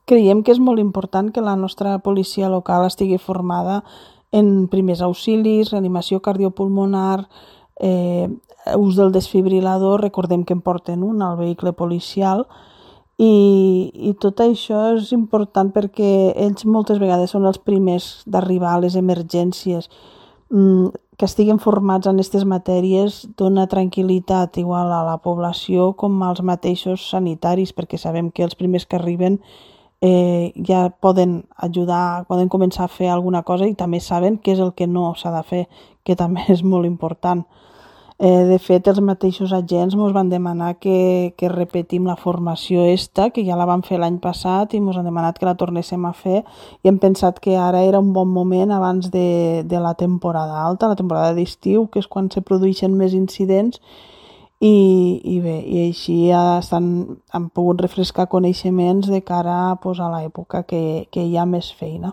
Creiem que és molt important que la nostra policia local estigui formada en primers auxilis, reanimació cardiopulmonar, ús del desfibrilador, recordem que en porten un al vehicle policial, i tot això és important perquè ells moltes vegades són els primers d'arribar a les emergències. Que estiguin formats en aquestes matèries dona tranquil·litat igual a la població com als mateixos sanitaris, perquè sabem que els primers que arriben ja poden ajudar, poden començar a fer alguna cosa i també saben què és el que no s'ha de fer, que també és molt important. De fet, els mateixos agents ens van demanar que repetim la formació que ja la vam fer l'any passat i ens han demanat que la tornéssim a fer i hem pensat que ara era un bon moment abans de la temporada alta, la temporada d'estiu, que és quan se produeixen més incidents i bé, i així han pogut refrescar coneixements de cara a l'època que hi ha més feina.